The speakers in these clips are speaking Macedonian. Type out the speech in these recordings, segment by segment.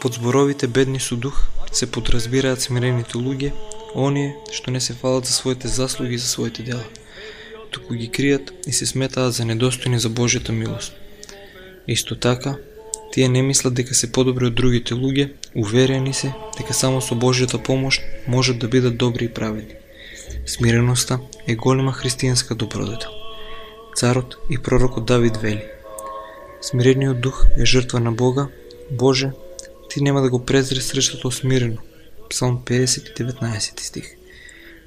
Под зборовите бедни со дух се подразбираат смирените луѓе, оние што не се фалат за своите заслуги и за своите дела, туку ги кријат и се сметаат за недостојни за Божјата милост. Исто така, тие не мислат дека се подобри од другите луѓе, уверени се дека само со Божјата помош можат да бидат добри и праведни. Смиреноста е голема христијанска добродетел. Царот и пророкот Давид вели: смирениот дух е жртва на Бога, Боже, ти нема да го презреш срещото смирено. Псалм 50, 19 стих.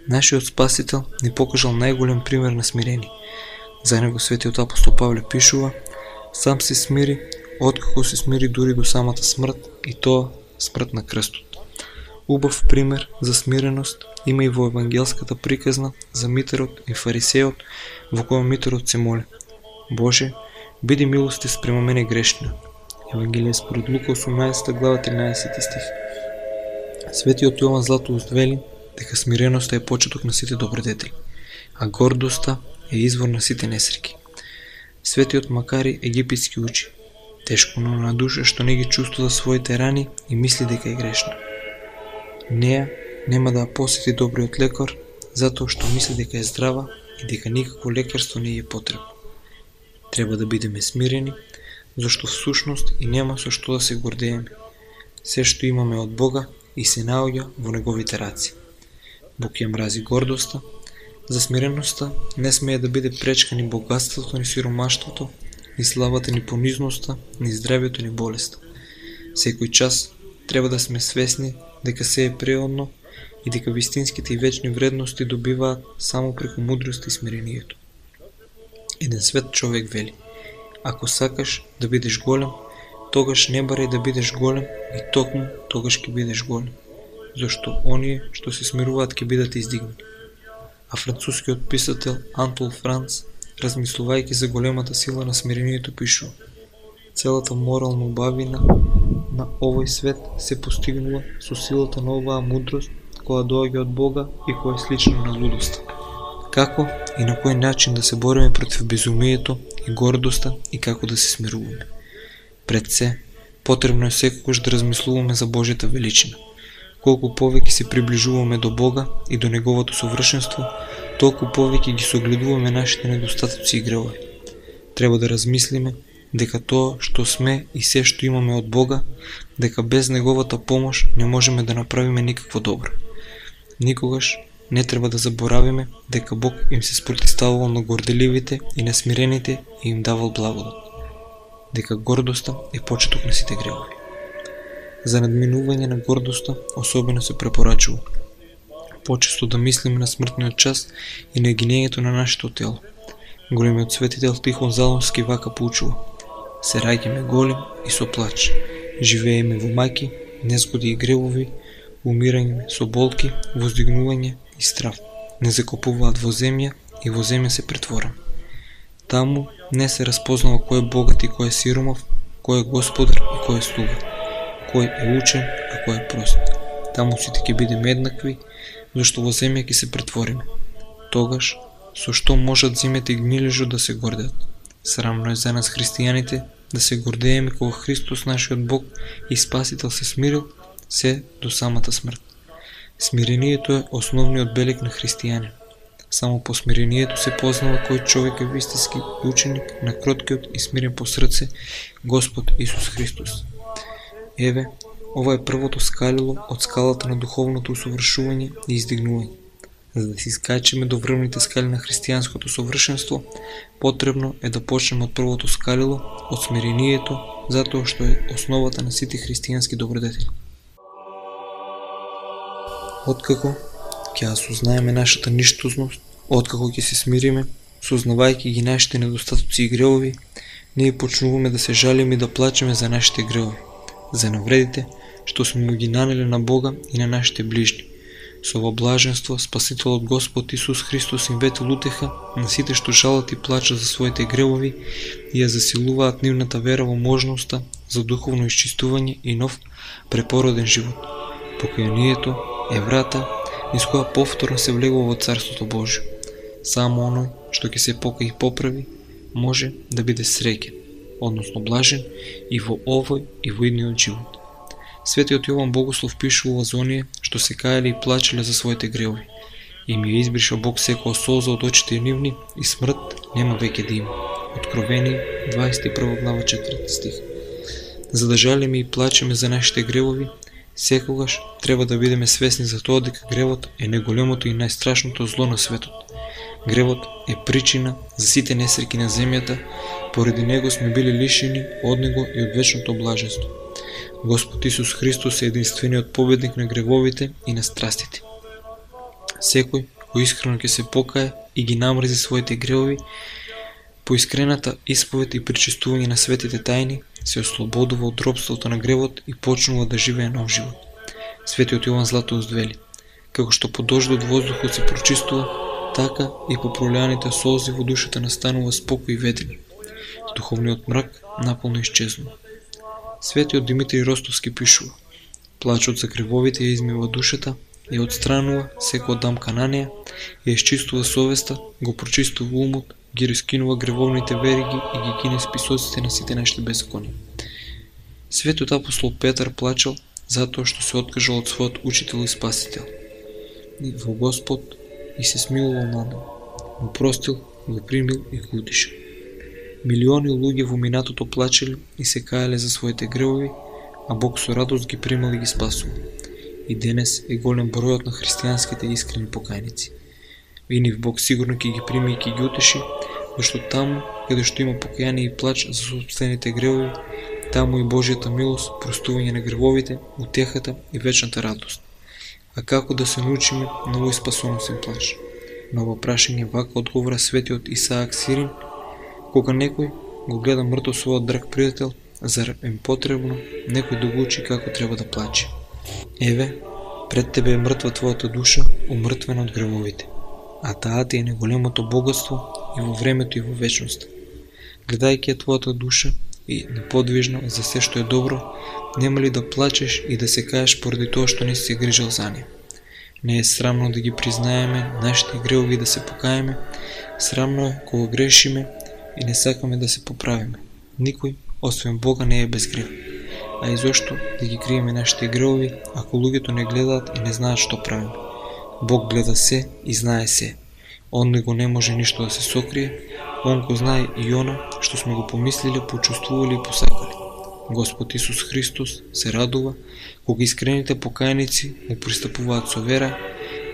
Нашиот Спасител ни покажал најголем пример на смирение. За него светиот апостол Павле пишува: сам се смири, откако се смири дури до самата смрт, и тоа смрт на крстот. Убав пример за смиреност има и во евангелската приказна за митерот и фарисеот, во која митерот се моли: Боже, биди милостив спрема мене грешниот. Евангелие според Лука 18 глава 13 стих. Светиот Јован Златоуст вели дека смиреноста е почеток на сите добродетели, а гордоста е извор на сите несреќи. Светиот Макари египетски учи: тешко на душа што не ги чувствува своите рани и мисли дека е грешна. Неа нема да ја посети добриот лекар, затоа што мисли дека е здрава и дека никакво лекарство не е потребно. Треба да бидеме смирени, зашто всушност и нема со што да се гордееме. Се што имаме од Бога и се наоѓа во неговите раци. Бог ја мрази гордоста, за смиреноста не смее да биде пречка ни богатството, ни сиромаштвото, ни славата, ни понизноста, ни здравјето, ни болеста. Секој час треба да сме свесни дека се е преодно и дека вистинските и вечни вредности добиваат само преку мудрост и смирението. Еден свет човек вели: ако сакаш да бидеш голем, тогаш не барај да бидеш голем и токму тогаш ќе бидеш голем, зашто оние што се смируваат ќе бидат издигнати. А францускиот писател Антол Франц, размислувајќи за големата сила на смирението, пишува: целата морална убавина на овој свет се постигнува со силата на оваа мудрост која доаѓа од Бога и која е слична на лудоста. Како и на кој начин да се бориме против безумието и гордоста и како да се смируваме? Пред се, потребно е секогаш да размислуваме за Божјата величина. Колку повеќе се приближуваме до Бога и до Неговото совршенство, толку повеќе ги согледуваме нашите недостатоци и гревови. Треба да размислиме дека тоа што сме и се што имаме од Бога, дека без Неговата помош не можеме да направиме никакво добро. Никогаш не треба да заборавиме дека Бог им се спротивставувал на горделивите и на смирените и им давал благодат. Дека гордоста е почеток на сите гревови. За надминување на гордоста особено се препорачува почесто да мислиме на смртниот час и на гинењето на нашето тело. Големиот светител Тихон Залонски вака поучува: се раѓаме голем и со плач, живееме во маки, незгоди и гревови, умирање со болки, воздигнување и страв. Не закопуваат во земја и во земја се претвораме. Таму не се распознава кој е богат и кој е сиромав, кој е господар и кој е слуга, кој е учен, а кој е прост. Таму сите ќе бидеме еднакви, зашто во земја ќе се претвориме. Тогаш, со што можат зимите и гнилежот да се гордеат? Срамно е за нас христијаните да се гордееме кога Христос, нашиот Бог и Спасител, се смирил се до самата смрт. Смирението е основниот белег на христијанин. Само по смирението се познава кој човек е вистински ученик на кроткиот и смирен по срце Господ Исус Христос. Еве, ова е првото скалило од скалата на духовното усовршување и издигнување. За да се искачиме до врвните скали на христијанското совршенство, потребно е да почнеме од првото скалило, од смирението, затоа што е основата на сите христијански добродетели. Откако ќе осознаеме нашата ништозност, откако ќе се смириме, сознавајќи ги нашите недостатоци и гревови, ние почнуваме да се жалиме и да плачеме за нашите гревови, за навредите што сме му ги нанели на Бога и на нашите ближни. Со ова блаженство Спасителот Господ Исус Христос им ветил утеха на сите што жалат и плачат за своите гревови и ја засилуваат нивната вера во можноста за духовно исчистување и нов препороден живот. Покајанието е врата низ која повторно се влегува во Царството Божјо. Само оној што ќе се покаи и поправи може да биде среќен, односно блажен и во овој и во идниот живот. Светиот Јован Богослов пишува за оние што се каеле и плачеле за своите гревови. Им ја избриша Бог секоја солза од очите нивни и смрт нема веќе да има. Откровени 21 глава 4 стих. За да жалиме и плачеме за нашите гревови, секогаш треба да бидеме свесни за тоа дека гревот е најголемото и најстрашното зло на светот. Гревот е причина за сите несреќи на земјата, поради него сме били лишени од него и од вечното блаженство. Господ Исус Христос е единствениот победник на гревовите и на страстите. Секој кој искрено ќе се покае и ги намрзи своите гревови, по искрената исповед и причестување на светите тајни, се ослободува од робството на гревот и почнува да живее нов живот. Светиот Јован Златоуст вели: како што по дождот воздухот се прочистува, така и по пролеаните солзи во душата настанува спокој и ведрина. Духовниот мрак наполно исчезнува. Светиот Димитри Ростовски пишува: плачот за гревовите ја измива душата, ја отстранува секоја дамка на неа, ја исчистува совеста, го прочистува умот, ги раскинува гревовните вериги и ги кине списоците на сите нашите беззаконија. Светиот апостол Петар плачел затоа што се откажал од својот учител и спасител во Господ и се смилувал над него. Го простил, го примил и го утешил. Милиони луѓе во минатото плачеле и се каеле за своите гревови, а Бог со радост ги примал и ги спасува. И денес е голем бројот на христијанските искрени покајници. И нив Бог сигурно ќе ги прими и ќе ги утеши, зашто таму каде што има покаяние и плач за собствените гревови, таму и Божјата милост, простување на гревовите, утехата и вечната радост. А како да се научиме на овој спасоносен плач? На ова прашање вака одговора светиот Исаак Сирин: кога некој го гледа мртов својот драг пријател, зар е потребно некој да го учи како треба да плаче? Еве, пред тебе е мртва твојата душа, умртвена од гревовите, а таа ти е најголемото богатство и во времето и во вечноста. Гледајќи ја твојата душа и неподвижна за се што е добро, нема ли да плачеш и да се каеш поради тоа што не си се грижал за неа? Не е срамно да ги признаеме нашите гревови и да се покаеме, срамно е кога грешиме и не сакаме да се поправиме. Никој, освен Бога, не е без грев. А и зошто да ги криеме нашите гревови, ако луѓето не гледаат и не знаат што правиме? Бог гледа се и знае се. Он него не може ништо да се сокрие, он го знае и она што сме го помислиле, почувствували и посакале. Господ Исус Христос се радува кога искрените покајници му пристапуваат со вера,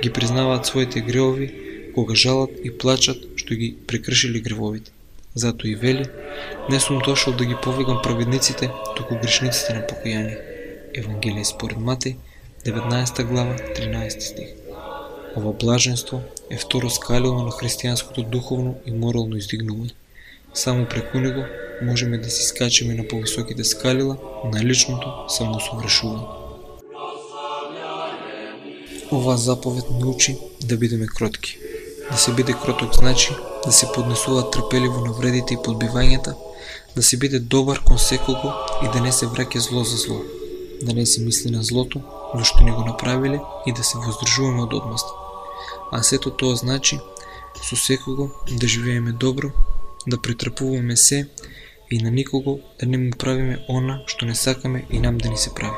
ги признаваат своите гревови, кога жалат и плачат што ги прекршили гревовите. Затоа и вели: не сум дошол да ги повикам праведниците, туку грешниците на покаяние. Евангелие според Матеј, 19 глава, 13 стих. Ова блаженство е второ скалило на христијанското духовно и морално издигнување. Само преку него можеме да си скачеме на повисоките скалила на личното самоусовршување. Ова заповед научи да бидеме кротки. Да се биде кроток значи да се поднесува трпеливо на вредите и подбивањата, да се биде добар кон секого и да не се враќа зло за зло, да не се мисли на злото, зашто не го направиле, и да се воздржуваме од одмаст. А сето тоа значи со секого да живееме добро, да претрпуваме се и на никого да не му правиме она што не сакаме и нам да ни се прави.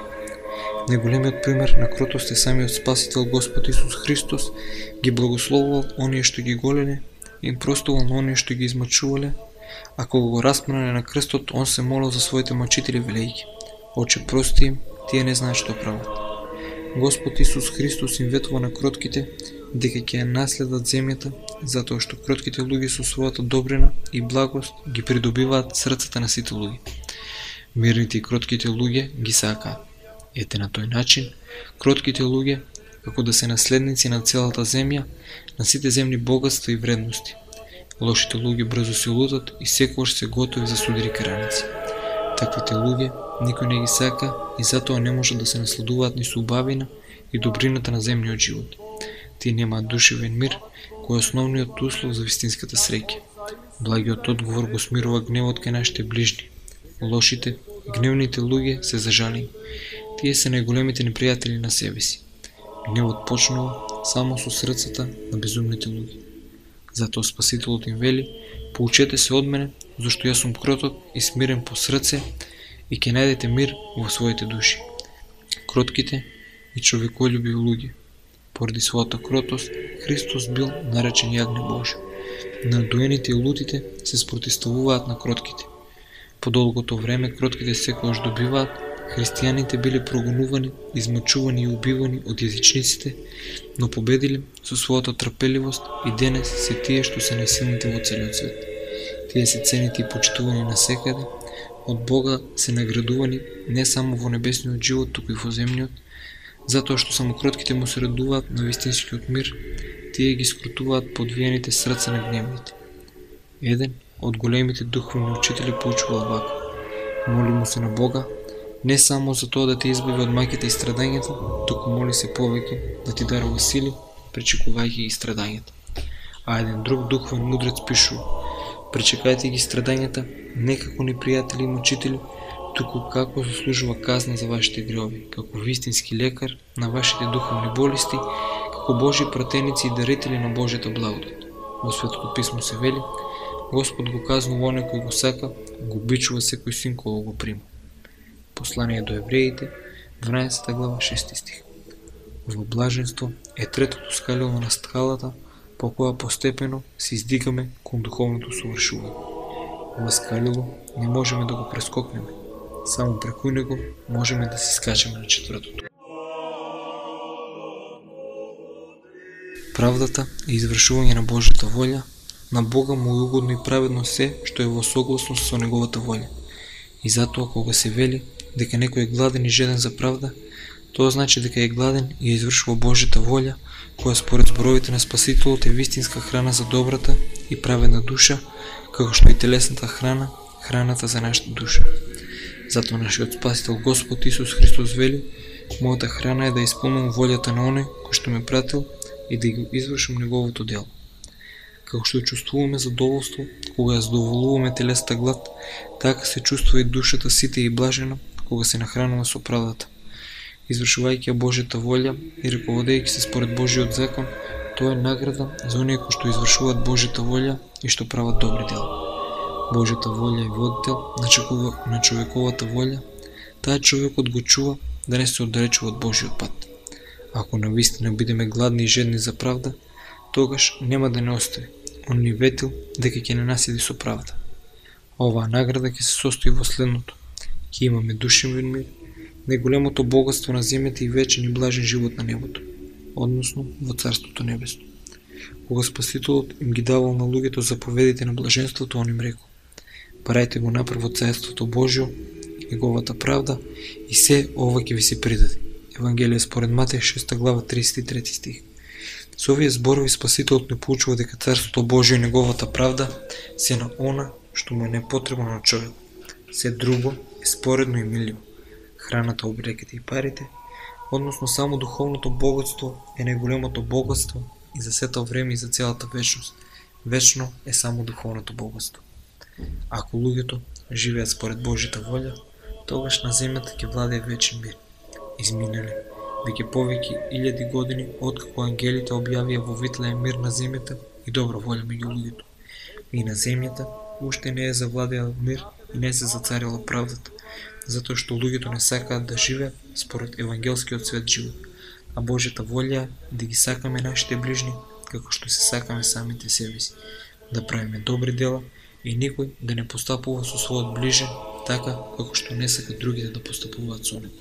Најголемиот пример на кротост е самиот Спасител Господ Исус Христос. Ги благословувал оние што ги голеле, им простувал на оние што ги измачувале, а кога го распнале на крстот, он се молил за своите мачители велејќи: Оче, прости им, тие не знаат што прават. Господ Исус Христос им ветува на кротките дека ќе ја наследат земјата, затоа што кротките луѓе со својата добрина и благост ги придобиваат срцата на сите луѓе. Мирните и кротките луѓе ги сакаат. Ете на тој начин, кротките луѓе, како да се наследници на целата земја, на сите земни богатства и вредности. Лошите луѓе брзо се лутат и секогаш се готови за судари караници. Таквите луѓе никој не ги сака и затоа не може да се насладуваат ни со убавина и добрината на земниот живот. Тие немаат душевен мир, кој е основниот услов за вистинската среќа. Благиот одговор го смирува гневот кај нашите ближни. Лошите и гневните луѓе се зажалени. Тие се најголемите непријатели на себе си. Гневот почнува само со срцата на безумните луѓе. Затоа Спасителот им вели: поучете се од мене, зашто јас сум кроток и смирен по срце, и ќе најдете мир во своите души. кротките и човеколюбиви луѓе. Поради својата кротост, Христос бил наречен јагне Божје. Надоените и лутите се спротивставуваат на кротките. По долгото време кротките секогаш добиваат, христијаните биле прогонувани, измачувани и убивани од јазичниците, но победиле со својата трпеливост и денес се тие што се најсилните во целиот свет. Тие се цените и почитувани насекаде, од Бога се наградувани не само во небесниот живот, туку и во земниот, затоа што само кротките му се радуваат на вистинскиот мир, тие ги скрутуваат подвиените срца на гневните. Еден од големите духовни учители поучувал вака: моли му се на Бога, не само за тоа да те избави од маќата и страдањата, туку моли се повеќе да ти дарува сили, пречекувајќи ги страдањата. А еден друг духовен мудрец пишува: пречекајте ги страдањата не како непријатели и мучители, туку како заслужува казна за вашите греови, како вистински лекар на вашите духовни болести, како Божји пратеници и дарители на Божјата благодат. Во Светото писмо се вели: Господ го казнува оне кој го сака, го обичува секој син кој го прима. Послание до евреите, 12 глава, 6 стих. Ова блаженство е третото скалило на скалата, по која постепено се издигаме кон духовното совршување. Ова скалило не можеме да го прескокнеме, само преку него можеме да се скачаме на четвртото. Правдата е извршување на Божјата волја, на Бога му е угодно и праведно се што е во согласност со неговата волја. И затоа кога се вели дека некој е гладен и жеден за правда, тоа значи дека е гладен и извршува Божјата волја, која според зборовите на Спасителот е вистинска храна за добрата и праведна душа, како што и телесната храна, храната за нашата душа. Затоа нашиот Спасител Господ Исус Христос вели: мојата храна е да исполнувам волјата на оној кој што ме пратил и да го извршам неговото дело. Како што чувствуваме задоволство кога ја задоволуваме телесната глад, така се чувствува и душата сита и блажена кога се нахранува со правдата. Извршувајќи ја Божјата волја и раководејќи се според Божјиот закон, тоа е награда за оние кои што извршуваат Божјата волја и што прават добри дела. Божјата волја е водител на човековата волја, таа човекот го чува да не се оддалечува од Божјиот пат. Ако навистина бидеме гладни и жедни за правда, тогаш нема да не остави. Он ни ветил дека ќе не наследи со правда. Оваа награда ќе се состои во следното: ќе имаме душевен мир, најголемото богатство на земјата и вечен и блажен живот на небото, односно во Царството небесно. Кога Спасителот им ги давал на луѓето заповедите на блаженството, он им рекол: барајте го напрво Царството Божјо и неговата правда, и се ова ќе ви се придаде. Евангелие според Матеј 6 глава 33 стих. Со овие зборови Спасителот не поучува дека Царството Божјо и неговата правда се на она што му е непотребно на човек. Се друго е споредно и миливо. Храната, облеките и парите, односно само духовното богатство е најголемото богатство и за сето време и за целата вечност. Вечно е само духовното богатство. Ако луѓето живеат според Божјата волја, тогаш на земјата ќе владее вечен мир. Изминале веќе повеќе 1000 години откако ангелите објавија во Витлеем мир на земјата и добра волја меѓу луѓето. И на земјата уште не е завладеал мир и не се зацарила правдата, затоа што луѓето не сакаат да живеат според евангелскиот свет живот, а Божјата волја е да ги сакаме нашите ближни како што се сакаме самите себе си, да правиме добри дела и никој да не постапува со својот ближен така како што не сака другите да постапуваат со него.